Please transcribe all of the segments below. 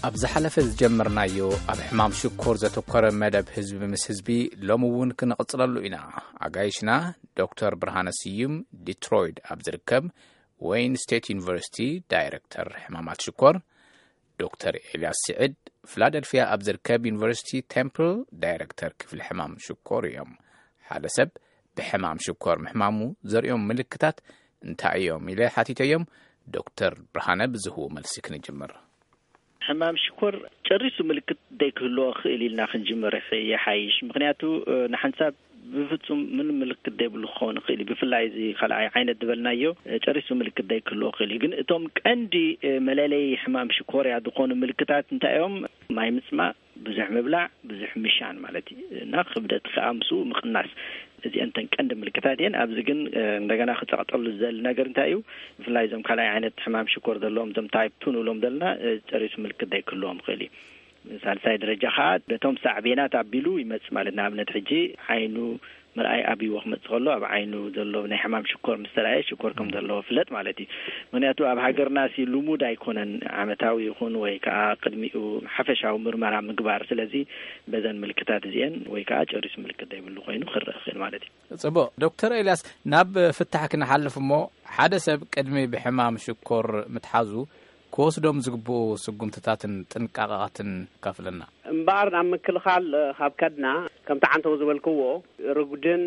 ኣብ ዝሓለፈ ዝጀመርናዮ ኣብ ሕማም ሽኮር ዘተኮረ መደብ ህዝቢ ምስ ህዝቢ ሎሚ እውን ክንቕጽለሉ ኢና። ኣጋይሽና ዶክተር ብርሃነ ስዩም ዲትሮይድ ኣብ ዝርከብ ወይን ስቴት ዩኒቨርሲቲ ዳይሬክተር ሕማማት ሽኮር፣ ዶክተር ኤልያስ ስዕድ ፊላደልፊያ ኣብ ዝርከብ ዩኒቨርሲቲ ቴምፕል ዳይሬክተር ክፍሊ ሕማም ሽኮር እዮም። ሓደ ሰብ ብሕማም ሽኮር ምሕማሙ ዘርእዮም ምልክታት እንታይ እዮም ኢለ ሓቲተዮም። ዶክተር ብርሃነ ብዝህቦ መልሲ ክንጅምር። ሕማም ሽኮር ጨሪሱ ምልክት ዘይክህልዎ ክእል ኢልና ክንጅምር ይሓይሽ። ምክንያቱ ንሓንሳብ ብፍጹም ምን ምልክት ዘይብሉ ክኸውን ይኽእል እዩ። ብፍላይ እዚ ካልኣይ ዓይነት ዝበልናዮ ጨሪሱ ምልክት ዘይክህልዎ ክእል እዩ። ግን እቶም ቀንዲ መለለይ ሕማም ሽኮርያ ዝኾኑ ምልክታት እንታይ እዮም? ማይ ምጽማእ፣ ብዙሕ ምብላዕ፣ ብዙሕ ምሻን ማለት እዩ። እና ክብደት ከዓ ምስኡ ምቕናስ። እዚአን እተን ቀንዲ ምልክታት እየን። ኣብዚ ግን እንደገና ክጸቕጠሉ ዝደሊ ነገር እንታይ እዩ? ብፍላይ እዞም ካልኣይ ዓይነት ሕማም ሽኮር ዘለዎም፣ እዞም ታይፕ ቱ ንብሎም ዘለና፣ ጨሪሱ ምልክት ዘይክህልዎም ይኽእል እዩ። ሳልሳይ ደረጃ ከዓ ነቶም ሳዕቤናት ኣቢሉ ይመጽእ ማለት፣ ንኣብነት ሕጂ ዓይኑ ምርኣይ ኣብይዎ ክመጽእ ከሎ፣ ኣብ ዓይኑ ዘሎ ናይ ሕማም ሽኮር ምስ ተራእየ ሽኮር ከም ዘለዎ ፍለጥ ማለት እዩ። ምክንያቱ ኣብ ሃገርና ሲ ልሙድ ኣይኮነን ዓመታዊ ይኹን ወይ ከዓ ቅድሚኡ ሓፈሻዊ ምርመራ ምግባር። ስለዚ በዘን ምልክታት እዚአን ወይ ከዓ ጨሪሱ ምልክት ዘይብሉ ኮይኑ ክረአ ይኽእል ማለት እዩ። ጽቡቕ ዶክተር ኤልያስ፣ ናብ ፍታሕ ክንሓልፍ እሞ፣ ሓደ ሰብ ቅድሚ ብሕማም ሽኮር ምትሓዙ ክወስዶም ዝግብኡ ስጉምትታትን ጥንቃቐቓትን ካፍለና። እምበኣር ናብ ምክልኻል ካብ ከድና፣ ከምቲ ዓንተው ዝበልክዎ፣ ርጉድን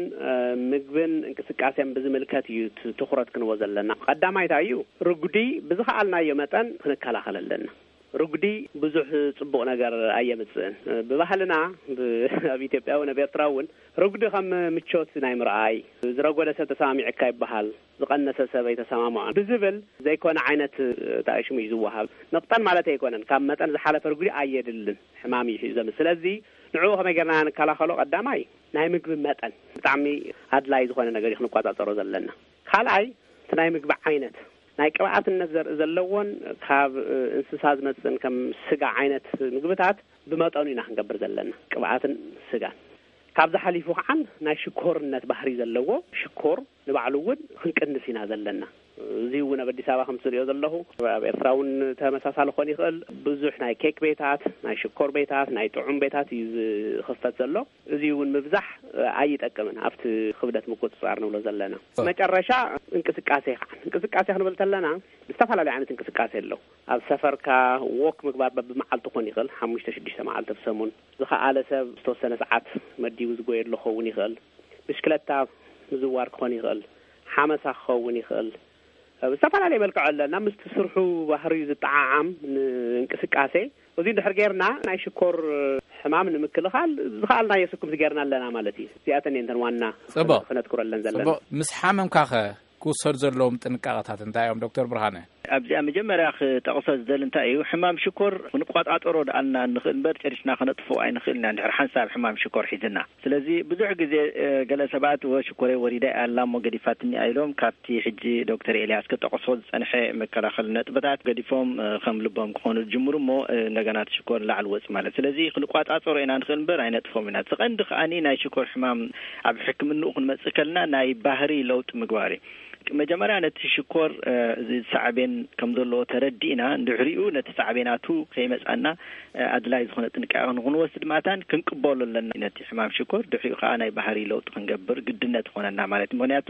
ምግብን እንቅስቃሴን ብዝምልከት እዩ ትኹረት ክንቦ ዘለና። ቀዳማይታ እዩ፣ ርጉዲ ብዝኸኣልናዮ መጠን ክንከላኸል ኣለና። ርጉዲ ብዙሕ ጽቡቕ ነገር ኣየምጽእን። ብባህልና፣ ኣብ ኢትዮጵያ እውን ኣብ ኤርትራ እውን፣ ርጉዲ ከም ምቾት ናይ ምርኣይ፣ ዝረጎደ ሰብ ተሰማሚዕካ ይበሃል፣ ዝቐነሰ ሰብ ኣይተሰማምዖን ብዝብል ዘይኮነ ዓይነት፣ እንታይ ሽሙ እዩ ዝወሃብ፣ ንቕጠን ማለት ኣይኮነን። ካብ መጠን ዝሓለፈ ርጉዲ ኣየድልን፣ ሕማም እዩ ሒዞም። ስለዚ ንዕኡ ከመይ ጌርና ንከላኸሎ? ቀዳማይ ናይ ምግቢ መጠን ብጣዕሚ ኣድላይ ዝኾነ ነገር እዩ ክንቆጻጸሮ ዘለና። ካልኣይ እቲ ናይ ምግቢ ዓይነት፣ ናይ ቅብኣትነት ዘርኢ ዘለዎን ካብ እንስሳ ዝመጽእን ከም ስጋ ዓይነት ምግብታት ብመጠኑ ኢና ክንገብር ዘለና፣ ቅብኣትን ስጋን። ካብዚ ሓሊፉ ከዓን ናይ ሽኮርነት ባህሪ ዘለዎ ሽኮር ንባዕሉ እውን ክንቅንስ ኢና ዘለና። እዚ እውን ኣብ ኣዲስ ኣበባ ከም ትሪኦ ዘለኹ፣ ኣብ ኤርትራ እውን ተመሳሳሊ ክኾን ይኽእል። ብዙሕ ናይ ኬክ ቤታት፣ ናይ ሽኮር ቤታት፣ ናይ ጥዑም ቤታት እዩ ዝኽፈት ዘሎ። እዚ እውን ምብዛሕ ኣይጠቅምን ኣብቲ ክብደት ምቁጽጻር ንብሎ ዘለና። መጨረሻ እንቅስቃሴ ከዓ፣ እንቅስቃሴ ክንብል ተለና ዝተፈላለዩ ዓይነት እንቅስቃሴ ኣለዉ። ኣብ ሰፈርካ ዎክ ምግባር በብመዓልቱ ክኾን ይኽእል፣ ሓሙሽተ ሽዱሽተ መዓልቲ ኣብ ሰሙን። ዝኸኣለ ሰብ ዝተወሰነ ሰዓት መዲቡ ዝጎየሉ ክኸውን ይኽእል። ብሽክለታ ምዝዋር ክኾን ይኽእል፣ ሓመሳ ክኸውን ይኽእል። ብዝተፈላለየ መልክዑ ኣለና። ምስቲ ስርሑ ባህሪኡ ዝጠዓዓም ንእንቅስቃሴ፣ እዚ እንድሕር ጌርና ናይ ሽኮር ሕማም ንምክልኻል ዝኸኣልናዮ ስኩምቲ ጌርና ኣለና ማለት እዩ። እዚኣተን እየን እተን ዋና ጽቡቕ። ክነትኩረለን ዘለና። ጽቡቕ። ምስ ሓመምካኸ ክውሰዱ ዘለዎም ጥንቃቐታት እንታይ እዮም ዶክተር ብርሃነ? ኣብዚኣ መጀመርያ ክጠቕሶ ዝደሊ እንታይ እዩ፣ ሕማም ሽኮር ክንቋጣጠሮ ደኣልና ንኽእል እምበር ጨሪስና ከነጥፍኦ ኣይንኽእል ኢና፣ እንድሕር ሓንሳብ ሕማም ሽኮር ሒዝና። ስለዚ ብዙሕ ግዜ፣ እ፣ ገለ ሰባት፣ "ወ፣ ሽኮረይ ወሪዳ እያ ኣላ እሞ ገዲፋትኒ" እያ ኢሎም ካብቲ ሕጂ ዶክተር ኤልያስ ክጠቕሶ ዝጸንሐ መከላኸሊ ነጥብታት ገዲፎም፣ እ፣ ከም ልቦም ክኾኑ ዝጅምሩ እሞ፣ እ፣ እንደገና እቲ ሽኮር ንላዕሊ ወጽእ ማለት። ስለዚ ክንቋጻጸሮ ኢና ንኽእል እምበር ኣይነጥፎም ኢና። እቲ ቀንዲ ከኣኒ ናይ ሽኮር ሕማም ኣብ ሕክምንኡ ክንመጽእ ከለና ናይ ባህሪ ለውጢ ምግባር እዩ። መጀመርያ ነቲ ሽኮር፣ እ፣ እዚ ሳዕቤን ከም ዘለዎ ተረዲእና፣ ድሕሪኡ ነቲ ሳዕቤናቱ ከይመጻና፣ እ፣ ኣድላይ ዝኾነ ጥንቃቐ ንኽንወስድ ማታን ክንቅበሎ ኣለና ነቲ ሕማም ሽኮር። ድሕሪኡ ከኣ ናይ ባህሪ ለውጢ ክንገብር ግድነት ይኾነና ማለት እዩ። ምኽንያቱ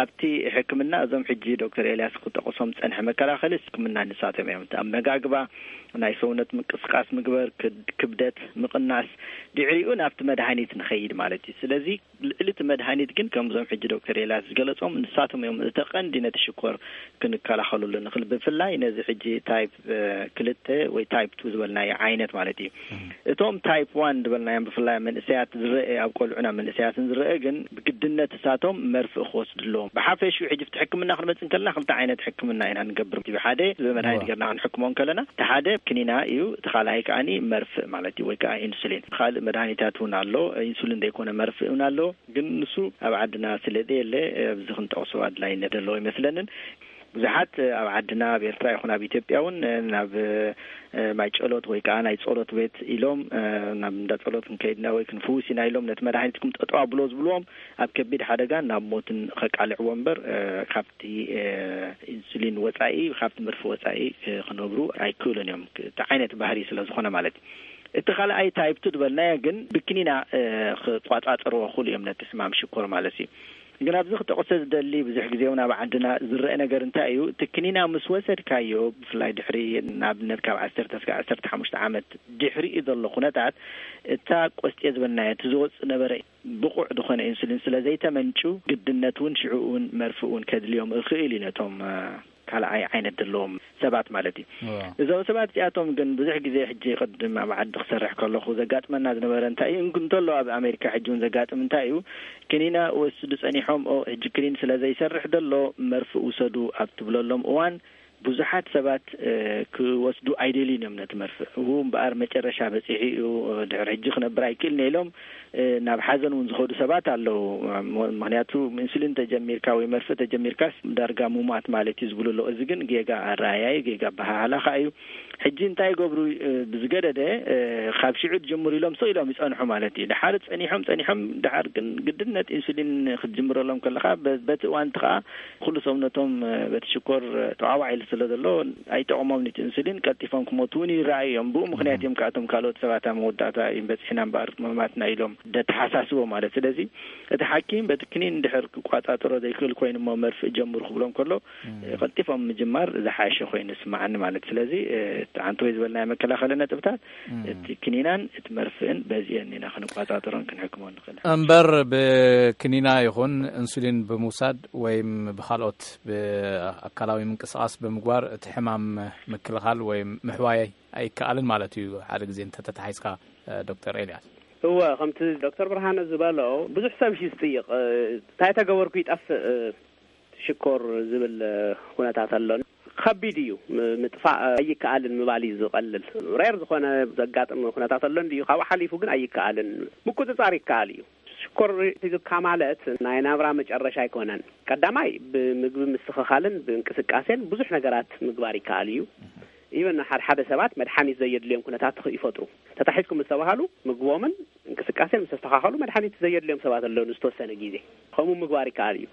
ኣብቲ ሕክምና እዞም ሕጂ ዶክተር ኤልያስ ክጠቕሶም ዝጸንሐ መከላኸሊ ሕክምና ንሳቶም እዮም። እቲ ኣመጋግባ፣ ናይ ሰውነት ምንቅስቃስ ምግበር፣ ክድ-፣ ክብደት ምቕናስ፣ ድሕሪኡ ናብቲ መድሃኒት ንኸይድ ማለት እዩ። ስለዚ ልዕሊ እቲ መድሃኒት ግን ከምዞም ሕጂ ዶክተር ኤልያስ ዝገለጾም ንሳቶም እዮም እቲ ቀንዲ ነቲ ሽኮር ክንከላኸሉሉ ንኽእል። ብፍላይ ነዚ ሕጂ ታይፕ፣ እ፣ ክልተ ወይ ታይፕ ቱ ዝበልናዮ ዓይነት ማለት እዩ። እቶም ታይፕ ዋን ዝበልናዮም ብፍላይ ኣብ መንእሰያት ዝረአ፣ ኣብ ቆልዑን ኣብ መንእሰያትን ዝረአ ግን ብግድነት እሳቶም መርፍእ ክወስዱ ኣለዎም። ብሓፈሽኡ ሕጂ ኣብቲ ሕክምና ክንመጽእ እንከለና ክልተ ዓይነት ሕክምና ኢና ንገብር። እቲ ሓደ ብመድሃኒት እወ። ጌርና ክንሕክሞ እንከለና፣ እቲ ሓደ ክኒና እዩ፣ እቲ ካልኣይ ከኣኒ መርፍእ ማለት እዩ፣ ወይ ከዓ ኢንሱሊን። ካልእ መድሃኒታት እውን ኣሎ፣ ኢንሱሊን ዘይኮነ መርፍእ እውን ኣሎ። ግን ንሱ ኣብ ዓድና ስለ ዘየለ፣ ኣብዚ ክንጠቕሶ ኣድላይነት ዘለዎ ኣይመስለንን። ብዙሓት ኣብ ዓድና፣ ኣብ ኤርትራ ይኹን ኣብ ኢትዮጵያ እውን ናብ ማይ ጸሎት ወይ ከዓ ናይ ጸሎት ቤት ኢሎም ናብ እንዳ ጸሎት ክንከይድና ወይ ክንፍውስ ኢና ኢሎም ነቲ መድሃኒትኩም ጠጠው ኣብሎ ዝብልዎም ኣብ ከቢድ ሓደጋን ናብ ሞትን ከቃልዕዎ እምበር ካብቲ ኢንሱሊን ወጻኢ፣ ካብቲ መርፊ ወጻኢ ክነብሩ ኣይክእሉን እዮም። እቲ ዓይነት ባህሪ ስለ ዝኾነ ማለት እዩ። እቲ ካልኣይ ታይፕ ቱ ዝበልናዮ ግን ብክኒና ክቋጻጸርዎ ክኽእሉ እዮም ነቲ ሕማም ሽኮር ማለት እዩ። ግን ኣብዚ ክጠቕሶ ዝደሊ ብዙሕ ግዜ እውን ኣብ ዓድና ዝረአ ነገር እንታይ እዩ፣ እቲ ክኒና ምስ ወሰድካዮ ብፍላይ ድሕሪ ንኣብነት ካብ ዓሰርተ እስከ ዓሰርተ ሓሙሽተ ዓመት ድሕሪኡ ዘሎ ኩነታት እታ ቆስጤ ዝበልናዮ እቲ ዝወጽእ ነበረ ብቑዕ ዝኾነ ኢንሱሊን ስለ ዘይተመንጩ ግድነት እውን ሽዑ እውን መርፍእ እውን ከድልዮም ይኽእል እዩ ነቶም ካልኣይ ዓይነት ዘለዎም ሰባት ማለት እዩ። እዞም ሰባት እዚኣቶም ግን ብዙሕ ግዜ ሕጂ ቅድም ኣብ ዓዲ ክሰርሕ ከለኹ ዘጋጥመና ዝነበረ እንታይ እዩ እንተሎ ኣብ ኣሜሪካ ሕጂ እውን ዘጋጥም እንታይ እዩ ክኒና ወስዱ ጸኒሖም ሕጂ ክኒን ስለ ዘይሰርሕ ዘሎ መርፍእ ውሰዱ ኣብ ትብለሎም እዋን ብዙሓት ሰባት ክወስዱ ኣይደልዩን እዮም ነቲ መርፍእ። እው እምበኣር መጨረሻ በጺሑ እዩ፣ ድሕሪ ሕጂ ክነብር ኣይክእልን ኢሎም ናብ ሓዘን እውን ዝኸዱ ሰባት ኣለዉ። ምክንያቱ ኢንሱሊን ተጀሚርካ ወይ መርፍእ ተጀሚርካስ ዳርጋ ምሟት ማለት እዩ ዝብሉ ኣለዉ። እዚ ግን ጌጋ ኣረኣእያ እዩ፣ ጌጋ ኣበሃህላ ከዓ እዩ። ሕጂ እንታይ ይገብሩ ብዝገደደ ካብ ሽዑ ዝጅምሩ ኢሎም ስቕ ኢሎም ይጸንሑ ማለት እዩ። ድሓር ጸኒሖም ጸኒሖም ድሓር ግን ግድነት ኢንሱሊን ክትጅምረሎም ከለኻ በቲ እዋንቲ ከዓ ኩሉ ሰውነቶም በቲ ሽኮር ተዋዋዒሉ ስለ ዘሎ ኣይጠቕሞም ኒቲ ኢንሱሊን ቀልጢፎም ክሞቱ እውን ይረኣዩ እዮም። ብኡ ምክንያት እዮም ከኣቶም ካልኦት ሰባት ኣብ መወዳእታ እዮም በፂሕና እምበኣር መማትና ኢሎም ደተሓሳስቦ ማለት። ስለዚ እቲ ሓኪም በቲ ክኒን ድሕር ክቋፃፀሮ ዘይክእል ኮይኑ እሞ መርፍእ ጀምሩ ክብሎም ከሎ ቀልጢፎም ምጅማር ዝሓሸ ኮይኑ ይስማዓኒ ማለት። ስለዚ ኣንተ ወይ ዝበልናዮ መከላኸሊ ነጥብታት እቲ ክኒናን እቲ መርፍእን በዚአን ኢና ክንቋፃፀሮን ክንሕክሞን ንኽእል። እምበር ብክኒና ይኹን ኢንሱሊን ብምውሳድ ወይም ብኻልኦት ብኣካላዊ ምንቅስቓስ ብምግባር እቲ ሕማም ምክልኻል ወይም ምሕዋይ ኣይከኣልን ማለት እዩ። ሓደ ግዜ እንተተታሒዝካ ዶክተር ኤልያስ። እወ፣ ከምቲ ዶክተር ብርሃነ ዝበሎ ብዙሕ ሰብ እዩ ዝጥይቕ። እንታይ ተገበርኩ ይጠፍእ ሽኮር ዝብል ኩነታት ኣሎ። ከቢድ እዩ፣ ምጥፋእ ኣይከኣልን ምባል እዩ ዝቐልል። ሬር ዝኾነ ዘጋጥም ኩነታት ኣሎ እንድዩ፣ ካብኡ ሓሊፉ ግን ኣይከኣልን። ምቁፅፃር ይከኣል እዩ። ሽኮር ሒዙካ ማለት ናይ ናብራ መጨረሻ ኣይኮነን። ቀዳማይ ብምግቢ ምስትኽኻልን ብእንቅስቃሴን ብዙሕ ነገራት ምግባር ይከኣል እዩ። ኢቨን ሓደ ሓደ ሰባት መድሓኒት ዘየድልዮም ኩነታት ይፈጥሩ። ተታሒዝኩም ዝተባሃሉ ምግቦምን እንቅስቃሴን ምስ ተስተኻኸሉ መድሓኒት ዘየድልዮም ሰባት ኣለዉ ንዝተወሰነ ግዜ። ከምኡ ምግባር ይከኣል እዩ።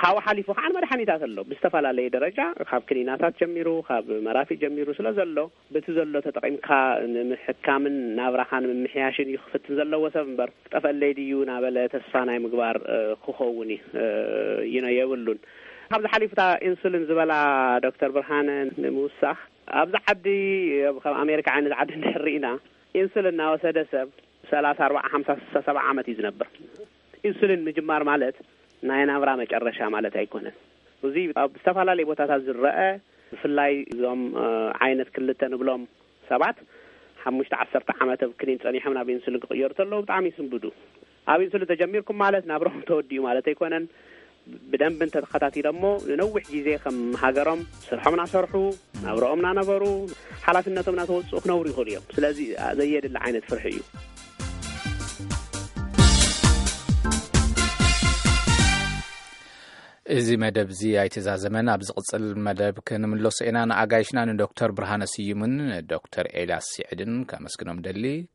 ካብኡ ሓሊፉ ከዓ መድሓኒታት ኣሎ ብዝተፈላለየ ደረጃ ካብ ክኒናታት ጀሚሩ ካብ መራፊ ጀሚሩ ስለ ዘሎ በቲ ዘሎ ተጠቒምካ ንምሕካምን ናብራኻ ንምምሕያሽን እዩ ክፍትን ዘለዎ ሰብ እምበር ክጠፈለይ ድዩ ናበለ ተስፋ ናይ ምግባር ክኸውን እዩ ይነ የብሉን። ካብዚ ሓሊፉታ ኢንሱሊን ዝበላ ዶክተር ብርሃነ ንምውሳኽ ኣብዚ ዓዲ ከም ኣሜሪካ ዓይነት ዓዲ እንድሕር ርኢና ኢንሱሊን እናወሰደ ሰብ ሰላሳ ኣርባዓ ሓምሳ ስሳ ሰባ ዓመት እዩ ዝነብር። ኢንሱሊን ምጅማር ማለት ናይ ናብራ መጨረሻ ማለት ኣይኮነን። እዚ ኣብ ዝተፈላለዩ ቦታታት ዝረአ ብፍላይ እዞም ዓይነት ክልተ ንብሎም ሰባት ሓሙሽተ ዓሰርተ ዓመት ኣብ ክኒን ጸኒሖም ናብ ኢንሱሊን ክቕየሩ ተለዉ ብጣዕሚ ይስንብዱ። ኣብ ኢንሱሊን ተጀሚርኩም ማለት ናብሮም ተወዲኡ ማለት ኣይኮነን። ብደንብ እንተተኸታቲሎሞ ንነዊሕ ግዜ ከም ሃገሮም ስርሖም ናሰርሑ ናብረኦም ናነበሩ ሓላፍነቶም ናተወፅኡ ክነብሩ ይኽእሉ እዮም። ስለዚ ዘየድሊ ዓይነት ፍርሒ እዩ። እዚ መደብ እዚ ኣይተዛዘመን። ኣብ ዝቕፅል መደብ ክንምለሶ ኢና። ንኣጋይሽና ንዶክተር ብርሃነ ስዩምን ዶክተር ኤልያስ ስዕድን ከመስግኖም ደሊ።